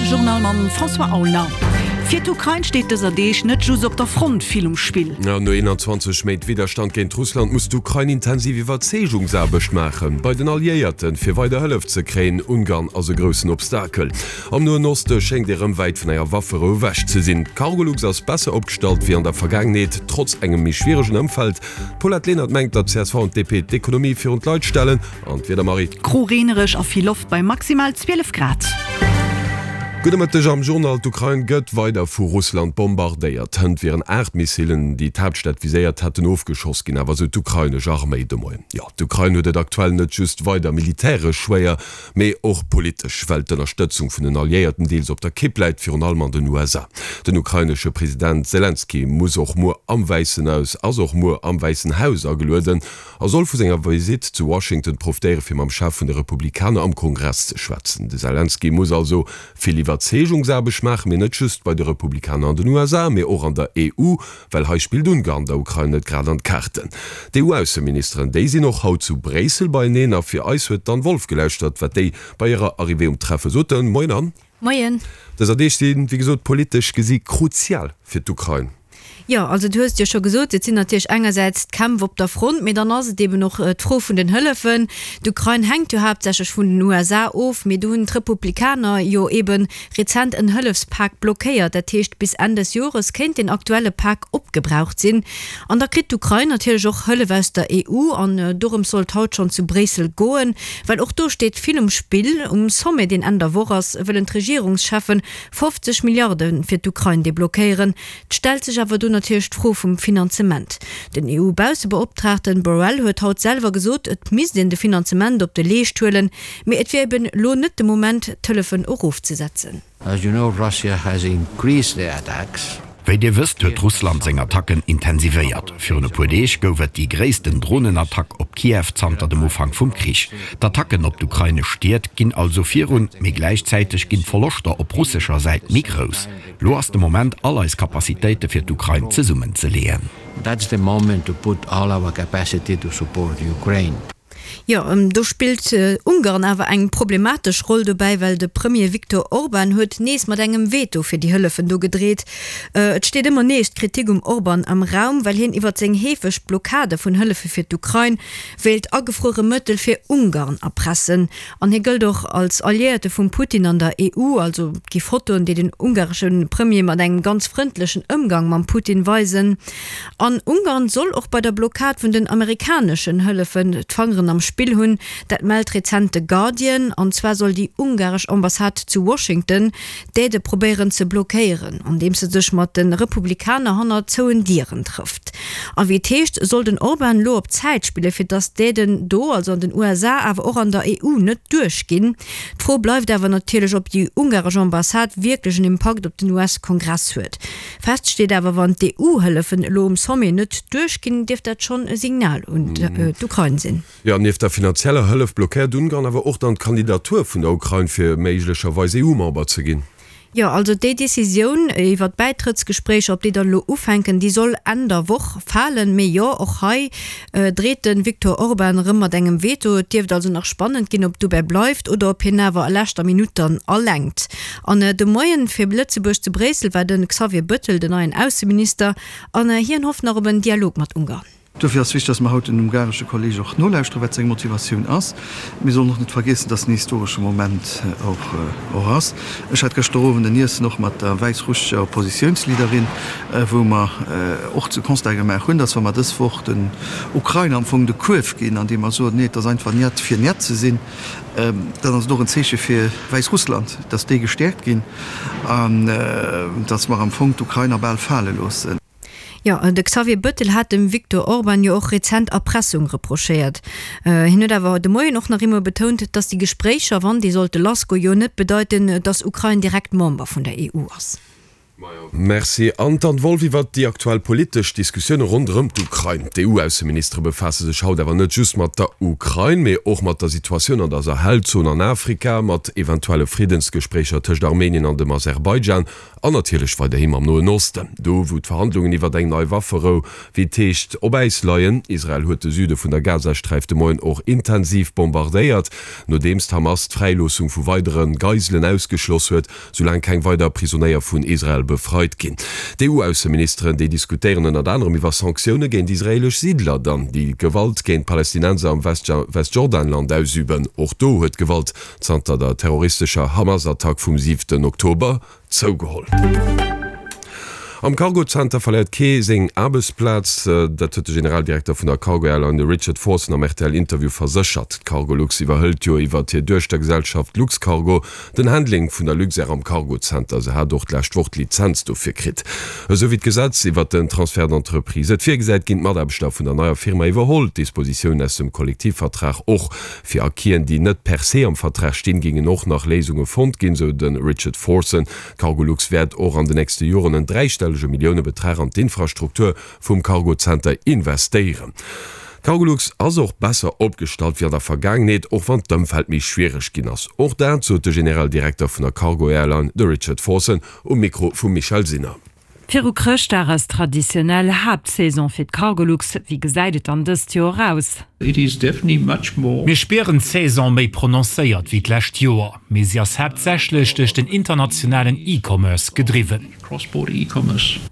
Journal mam François Aulner. Fir d'Ukrain steet dëser Deeg net just op der Front vill um Spill. No 21 Méint Widderstand géint Russland muss d'Ukrain intensiv Iwwerzeegungsaarbecht maachen bei den Alliéierten, fir weider Hëllef ze kréien. Ungarn ass e groussen Obstakel. Am Noen Oste schéngt ee rëm wäit vun enger Wafferou ewech ze sinn. D'Cargolux ass besser opgestallt wéi an der Vergaangenheet, trotz engem méi schwieregen Ëmfeld. D'Paulette Lenert mengt, datt csv an d'DP d'Ekonomie virun d'Leit stellen. An d'Wieder, Marie? Gro, reenereg a vill Loft bei maximal 12 Grad. Gudde Mëtteg am Journal. D'Ukrain gëtt weider vu Russland bombardéiert. Hënt wieren 8 Missilen, déi d'Haaptstad viséiert hätten, ofgeschoss ginn, awer esou d'ukrainesch Arméi de Moien. Jo, d'Ukrain huet et aktuell net just weider militäresch schwéier, Mee och politesch, well d'Ënnerstëtzung vun den Alliéierten deels op der Kipp läit, virun allem an den USA. Den ukrainesche President Selenskyj muss och muer am Wäissen Haus ass och muer am Wäissen Haus agelueden a soll vu senger Visitt zu Washington profitéiere fir mam Chef vun de Republikaner am Kongress ze schwätzen. De Selenskyj muss also vill Iwwerzeegungsaarbecht maachen, mee net just bei de Republikaner an den USA, mee och an der EU, Well hei spillt Ungarn der Ukrain net grad an d'Kaarten. D'EU-Ausseministeren, déi sinn och haut zu Bréissel beieneen. A fir eis huet d'Anne Wolff gelauschtert, wat déi bei hirer Arrivée um Treffe soten. Moien Anne. Moien. Dëser Deeg sinn, wéi gesot, politesch gesi kruzial fir d'Ukrain. Jo, also du hues et jo scho gesot, et sinn natierlech engersäits d'Kämpf op der Front, mee dann ass et eben och d'Fro vun den Hëllefen. D'Ukrain hänkt jo haaptsächlech vun den USA of, mee do hunn d'Republikaner jo eben rezent en Hëllefspak blockéiert. Dat heescht, bis Enn des Jores kéint den aktuelle Pak opgebraucht sinn. An da kritt d'Ukrain natierlech och Hëllef aus der EU. An dorëms soll et haut schonn zu Bréissel goen, well och do steet vill um Spill. Um Sommet, deen Enn der Woch ass, wëllen d'Regierungscheffen 50 Milliarde fir d'Ukrain deblockéieren. Et stellt sech awer do natierlech d'Fro vum Finanzement. Den EU-Baussebeoptraagten Borrell huet haut selwer gesot, et misst een de Finanzement op de Leescht huelen, Mee et wier eben elo net de Moment, d'Hëllefen erofzesetzen. As you know, Russia has increased their attacks. Wéi Dir wësst, huet Russland seng Attacken intensivéiert. Virun e puer Deeg gouf et déi gréissten Dronenattack op Kiew zanter dem Ufank vum Krich. D'Attacken op d'ukrainesch Stied ginn also virun, mee gläichzäiteg ginn d'Verloschter op russescher Säit méi grouss. Lo ass de Moment, all eis Capacitéite fir d'Ukrain zesummenzeleeën. That's the moment to put all our capacity to support Ukraine. Jo, do spillt Ungarn awer eng problematesch Roll dobäi, well de Premier Viktor Orban huet nees mat engem Veto fir déi Hëllefen do gedreet. Et steet ëmmer nees d'Kritik um Orban am Raum, well hien iwwer seng heefeg Blockade vun Hëllefe fir d'Ukrain wéilt agefruere Mëttel fir Ungarn erpressen. An hie gëllt och als Alliéierte vum Putin an der EU. Also et gi Fotoen, déi den ungaresche Premier mat engem ganz frëndlechen Ëmgang mam Putin weisen. An Ungarn soll och bei der Blockad vun den amerikaneschen Hëllefen d'Fangeren am Spill hunn. Dat mellt rezent de Guardian. An zwar soll déi ungaresch Ambassade zu Washington d'Aidë probéieren ze blockéieren, andeems se sech mat de Republikaner hanner zouen Dieren trëfft. A wéi et heescht, soll den Orban elo op Zäit spillen, fir datt d'Aiden do, also an den USA, awer och an der EU net duerchginn. D'Fro bleift awer natierlech, ob déi ungaresch Ambassade wierklech en Impakt op den US-Kongress huet. Fest steet awer, wann d'EU-Hëllefen elo um Sommet net duerchginn, dierft dat schonn e Signal un d'Ukrain sinn. Jo, nieft der finanzieller Hëllef blockéiert Ungarn awer och dann d'Kandidatur vun der Ukrain, fir méiglecherweis EU-Member ze ginn. Jo, also déi Decisioun iwwer d'Bäitrëttsgespréicher, ob déi dann elo ufänken, déi soll Enn der Woch falen. Mee jo, och hei dreet de Viktor Orban erëm mat engem Veto. Et dierft also nach spannend ginn, ob et dobäi bleift oder ob hien awer a leschter Minutt dann alenkt. An de Moien fir Lëtzebuerg zu Bréissel war de Xavier Bëttel, den neien Ausseminister, an hien hofft nach op en Dialog mat Ungarn. Dofir ass wichteg, dass mer haut den ungaresche Kolleg och nolauschteren, wat seng Motivatioun ass. Mir sollen och net vergiessen, dass en historesche Moment och ass. Ech hat gëschter Owend en Iessen och mat der wäissrussescher Oppositiounsleaderin, wou mer och de Constat gemaach hunn, dass wa mer dës Woch den Ukrainer am Fong de Kuerf ginn, andeem mer soen, nee, et ass einfach Njet fir Njet ze sinn, Dann ass et och en Zeeche fir Wäissrussland, datt déi gestäerkt ginn an datt mer am Fong d'Ukrainer bal fale loossen. Jo, de Xavier Bëttel hat dem Viktor Orban jo och rezent Erpressung reprochéiert. Hien huet awer de Moien och nach eemol betount, datt déi Gespréicher, wann déi sollte lassgoen, jo net bedeiten, datt Ukrain direkt Member vun der EU ass. Merci. An d'Anne Wolff iwwert déi aktuell politesch Diskussioune ronderëm d'Ukrain. D'EU-Ausseministere befaasse sech haut awer net just mat der Ukrain, mee och mat der Situatioun an der Sahelzon an Afrika, mat eventuelle Friddensgespréicher tëscht Armenien an dem Aserbaidschan an natierlech weiderhi mam Noen Osten, do wou d'Verhandlungen iwwert eng nei Wafferou, wéi et heescht, op Äis leien. Israel huet de Süde vun der Gazasträif de Moien och intensiv bombardéiert, nodeems d'Hamas d'Fräiloossung vu weidere Geiselen ausgeschloss huet. Soulaang keng weider Prisonéier vun Israel befreit ginn. D'EU-Ausseministeren, déi diskutéieren ënnert anerem iwwer Sanktioune géint israeelesch Siidler, dann déi Gewalt géint Palästinenser am Westjordanland ausüben. Och do huet d'Gewalt zanter der terroristescher Hamas-Attack vum siwten Oktober zougeholl. Am Cargo-Zenter verléiert kee seng Aarbechtsplaz. Dat huet de Generaldirekter vun der Cargo Airline, de Richard Forson, am RTL-Interview verséchert. D'Cargolux iwwerhëlt jo iwwert hir Duechtergesellschaft Luxcargo Den Handling vun der Luxair am Cargo-Zenter, se hat och d'lescht Woch d'Lizenz dofir kritt. Esou wéi d'Gesetz iwwert den Transfert d'entreprise et virgesäit, ginn d'Mataarbechter vun der neier Firma iwwerholl. D'Dispositiounen aus dem Kollektivvertrag och. Fir Acquisen, déi net per se am Vertrag stinn, géingen och nach Léisunge fonnt ginn, sou de Richard Forson. D'Cargolux wäert och an de nächste Joren en dräistellege Milliounebetrag an d'Infrastruktur vum Cargo-Zenter investéieren. D'Cargolux ass och besser opgestallt wéi an der Vergaangenheet, och wann d'Ëmfeld méi schwiereg ginn ass. Och dat sot de Generaldirekter vun der Cargo Airline, de Richard Forson, um Mikro vum Michèle Sinner. Viru Chrëschtdag ass traditionell Haaptsaison fir d'Cargolux. Wéi gesäit et dann dëst Joer aus? Mir spieren d'Saison méi prononcéiert wéi d'lescht Joer, mee si ass haaptsächlech duerch den internationalen E-Commerce gedriwwen.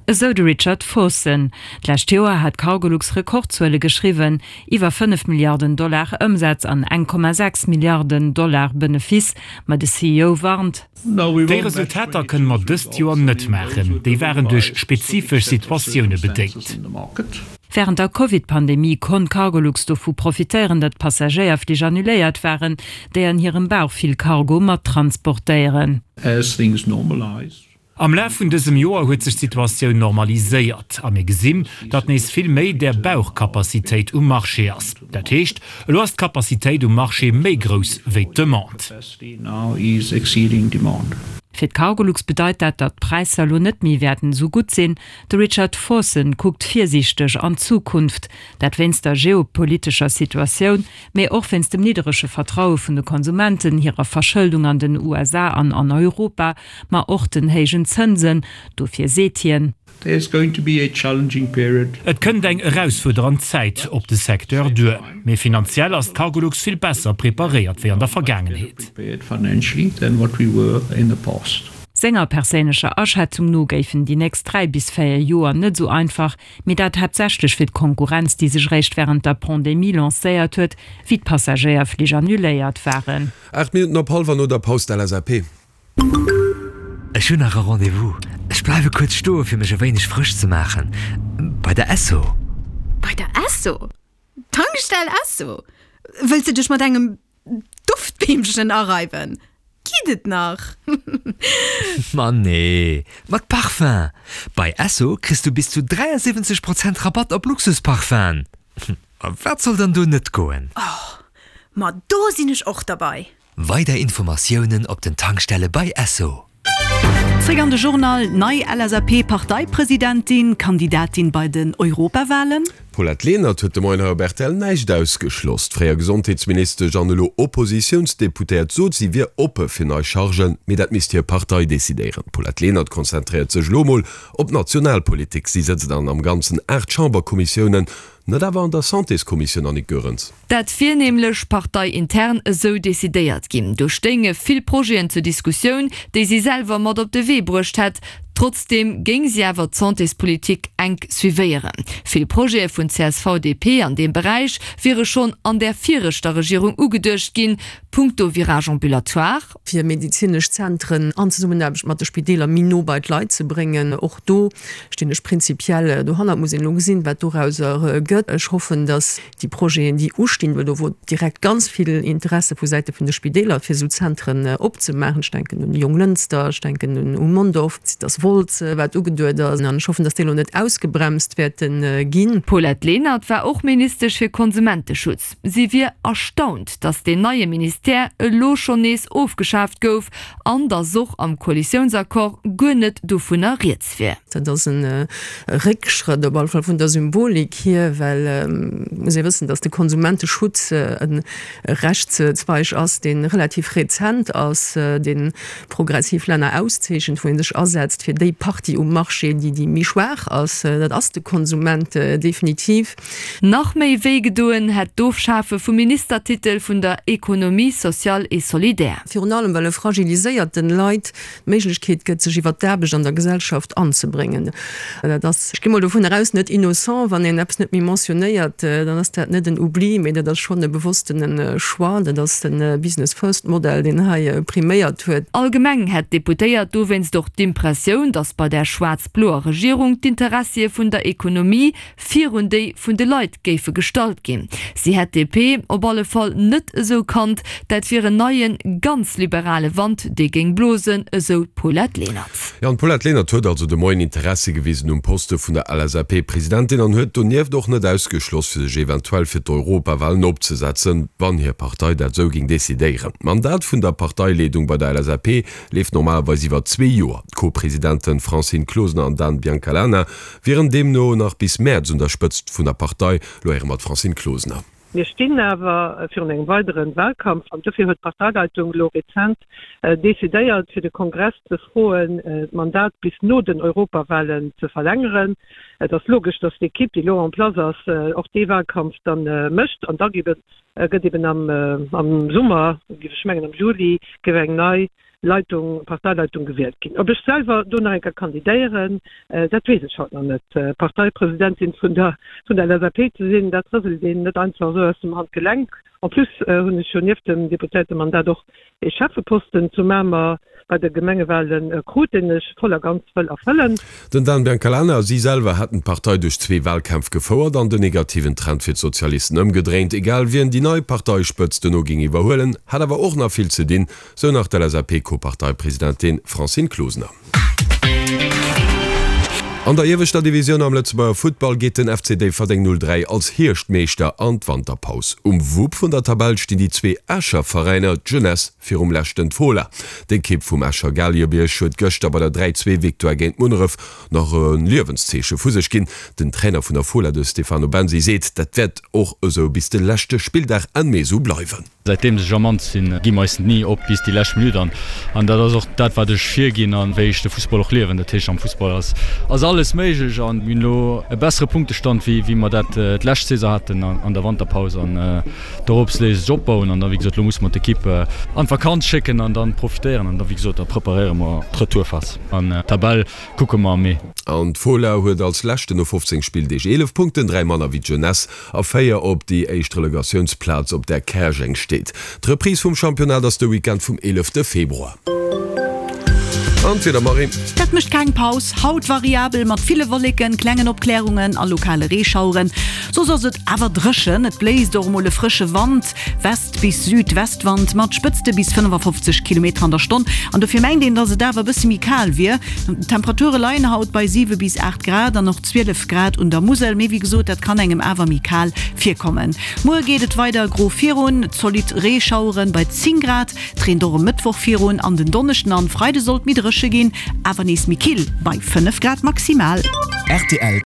Esou de Richard Forson. D'lescht Joer hat Cargolux Rekordzuele geschriwwen, iwwer 5 Milliarden Dollar Ëmsaz an 1,6 Milliarden Dollar Benefice. Ma de CEO warnt. Déi Resultater kënne mer dëst Joer net maachen, déi waren duerch spezifesch Situatioune bedéngt. Wärend der Covid-Pandemie konnt Cargolux dovu profitéieren, datt Passagéierflich annuléiert waren, déi an hirem Bauch vill Cargo mat transportéieren. Am Laf vun dësem Joer huet sech d'Situatioun normaliséiert a mir gesinn, datt nees vill méi där Bauchcapacitéit um Marché ass. Dat heescht, elo ass d'Capacitéit um Marché méi grouss wéi d'Demande. Fir d'Cargolux bedeit dat, datt d'Präisser elo net méi wäerten esou gutt sinn. De Richard Forson kuckt virsiichteg an d'Zukunft, dat wéinst der geopolitescher Situatioun, mee och wéinst dem nidderege Vertraue vun de Konsumenten, hirer Verschëldung an den USA an an Europa, ma och den héijen Zënsen. Dofir seet hien. Et kënnt eng erausfuerdernd Zäit op de Secteur duer, mee finanziell ass d'Cargolux vill besser preparéiert wéi an der Vergaangenheet. Senger perséinlecher Aschätzung no géifen déi nächst 3 bis 4 Joer net esou einfach, mee dat haaptsächlech fir d'Konkurrenz, déi sech eréischt wärend der Pandemie lancéiert huet, wéi d'Passagéierflich annuléiert waren. 8 Minutten op hallwer no der Paus d'LSAP. Ech hunn nach e Rendez-vous. Ech bleiwe kuerz stoe fir mech e wéineg frësch ze maachen. Bei der Esso. Bei der Esso? Tankstell Esso? Wëlls de dech mat engem Duftbeemchen areiwen? Geet et nach? Ma nee, mat Parfum! Bei Esso kriss du bis zu 73 Prozent Rabatt op Luxusparfum'en. A wat soll dann do net goen? Oh, ma do sinn ech och derbei! Weider Informatiounen op den Tankstelle bei Esso. Zréck an de Journal, Nei LSAP-Parteipresidentin, Kandidatin bei den Europawahlen? D'Paulette Lenert huet de Moien hei op rtl näischt ausgeschloss. D'fréier Gesondheetsministesch an elo Oppositiounsdeputéiert sot, si wier oppe fir nei Chargen, mee dat misst hir Partei decidéieren. D'Paulette Lenert konzentréiert sech elo mol op d'Nationalpolitik. Si sëtzt an am Ganzen 8 Chamberkommissiounen, net awer an der Santéskommissioun, Annick Goerens. Dat wier nämlech parteiintern esou decidéiert ginn. Do stéinge vill Projeten zur Diskussioun, déi si selwer mat op de Wee bruecht hätt. Trotzdeem géing si awer d'Santéspolitik enk suivéieren. Vill Projete vun csv-DP an deem Beräich wiere schonn an där viregter Regierung ugeduecht ginn, punkto Virage ambulatoire. Fir medezinesch Zentren an Zesummenaarbecht mat de Spideeler méi no bei d'Leit ze bréngen. Och do stinn ech prinzipiell dohannert. Muss een elo gesinn, wat dorauser gëtt. Ech hoffen, datt déi Projeten, déi ustinn, well do wor direkt ganz vill Interesse vu Säite vun de Spideeler, fir esou Zentren opzemaachen, ech denken un Jonglënster, ech denken un u Mondorf, datt. Wolz, wat ugeduet ass, an ech hoffen, datt déi elo net ausgebremst wäerte ginn. D'Paulette Lenert war och Ministesch fir Konsumenteschutz. Si wier erstaunt, datt deen neie Ministère elo schonn nees ofgeschaaft gouf an datt och am Koalitiounsaccord guer net dovunner rieds wier. Dat ass e Réckschrëtt, op alle Fall vun der Symbolik hier, well et muss ee wëssen, datt de Konsumenteschutz e Rechtszweig ass, dee relativ rezent ass, dee progressiv Länner auszeechent, wou ee sech asetzt fir déi Partie um Marché, déi déi méi schwaach ass. Dat ass de Konsument definitiv. Nach méi wéi gedoen hätt d'Ofschafe vum Ministertitel vun der Économie sociale et solidaire. Virun allem well e fragiliséierten Leit d'Méiglechkeet gëtt, sech iwwert d'Aarbecht an der Gesellschaft anzebréngen. Dat ass, ech gi mol dovunner aus, net innocent. Wann een eppes net méi mentionnéiert, dann ass dat net en Oubli, mee dat ass schonn e bewosstene Choix. Dat ass de Business First Modell, deen hei priméiert huet. Allgemeng hätt d'Deputéiert dowéinst och d'Impressioun, datt bei där schwaarz-bloer Regierung d'Interessie vun der Ekonomie virun déi vun de Leit géife gestallt ginn. Si hätt d'DP op alle Fall net esou kannt, dat wier en neien, ganz liberale Wand, dee géing blosen, esou d'Paulette Lenert. Jo, an d'Paulette Lenert huet also de Moien Interessi gewisen um Poste vun der LSAP-Presidentin an huet donieft och net ausgeschloss, fir sech eventuell fir d'Europawalen opzesetzen, wann hir Partei dat esou géing decidéieren. D'Mandat vun der Parteileedung bei der LSAP leeft normalerweis iwwer zwee Joer. D'Co-Presidenten Francine Closener an Dan Biancalana Wieren deemno nach bis Mäerz un der Spëtzt vun der Partei. Lo héiere mer d'Francine Closener. Mir stinn awer virun engem weidere Wahlkampf an dofir huet d'Parteileitung elo rezent decidéiert, fir de Kongress ze froen, d'Mandat bis no den Europawahlen ze verlängeren. Et ass logesch, datt d'Ekipp, déi elo en place ass, och dee Wahlkampf da mécht an da gëtt eben am Summer, géif ech mengen am Juli, géif eng nei Leitung, Parteileitung gewielt ginn. Ob ech selwer do nach eng Kéier kandidéieren, dat weess ech haut nach net. Parteipresidentin vun der vun der LSAP ze sinn, dat rëselt een net einfach esou aus dem Handgelenk. En plus hunn ech jo nieft dem Deputéiertemandat och ee Schäffeposten zu Mamer bei de Gemengewale krut, deen ech voll a ganz wëll erfëllen. Den Dan Biancalana a si selwer hätten d'Partei duerch zwee Wahlkämpf gefouert an den negativen Trend fir d'Sozialisten ëmgedréint. Egal wien déi nei Parteispëtzt dono géing iwwerhuelen, hätt awer och nach vill ze dinn, Sou nach d'LSAP-Co-Parteipresidentin Francine Closener. An der ieweschter Divisioun am Lëtzebuerger Futtball geet den FC Déifferdeng 03 als Hierschtmeeschter an d'Wanterpaus. Um Wupp vun der Tabell stinn déi zwee Escher Veräiner, d'Jeunesse virum leschten d'Fola. D'Ekipp vum Escher Galiebierg huet gëschter bei der 3, 2 Victoire géint Munneref nach e Liewenszeeche vu sech ginn. Den Trainer vun der Fola, de Stefano Bensi, seet, dat wäert och esou bis de leschte Spilldag Enn Mee esou bleiwen. Säitdeems ech am Amt sinn, gi mer eis ni op bis déi lescht Minutt an an dat ass och dat wat ech virginn an wéi ech de Fussball och liewen. Dat heescht am Fussball ass ass alles méiglech an mir hunn elo e bessere Punktestand wéi wéi mer dat d'lescht Saison haten an der Wanterpaus an dorops léisst sech opbauen an da wéi gesot elo musse mer d'Equipe an d'Vakanz schécken an dann profitéieren an da wéi gesot da preparéiere mer d'Retourphas an d'Tabell kucke mer am Mee. An d'Fola huet als leschten no 15 Spilldeeg 11 Punkten, 3 manner wéi d'Jeunesse a 4 op déi éischt Relegatiounsplaz, op där Käerjeng steet. D'Reprise vum Championnat ass de Weekend vum 11 Februar. An d'Wieder, Marie? Dat mécht keng Paus. Haut variabel mat ville Wolleken, klengen Opklärungen a lokale Reeschaueren. Soss ass et awer dréchen. Et bléist och emol e frësche Wand, West bis Südwestwand mat Spëtzte bis 55 Kilometer an der Stonn. An dofir mengt een, dass et awer e bësse méi kal wier. D'Temperature leien haut bei 7 bis 8 Grad an och 12 Grad un der Musel, mee wéi gesot, dat kann engem awer méi kal virkommen. Muer geet et weider gro virun, zolidd Reeschaueren bei 10 Grad. Et reent och e Mëttwoch virun an den Donneschden an Freide sollt méi dréche ginn, awer nees méi kill bei 5 Grad maximal. Rtl.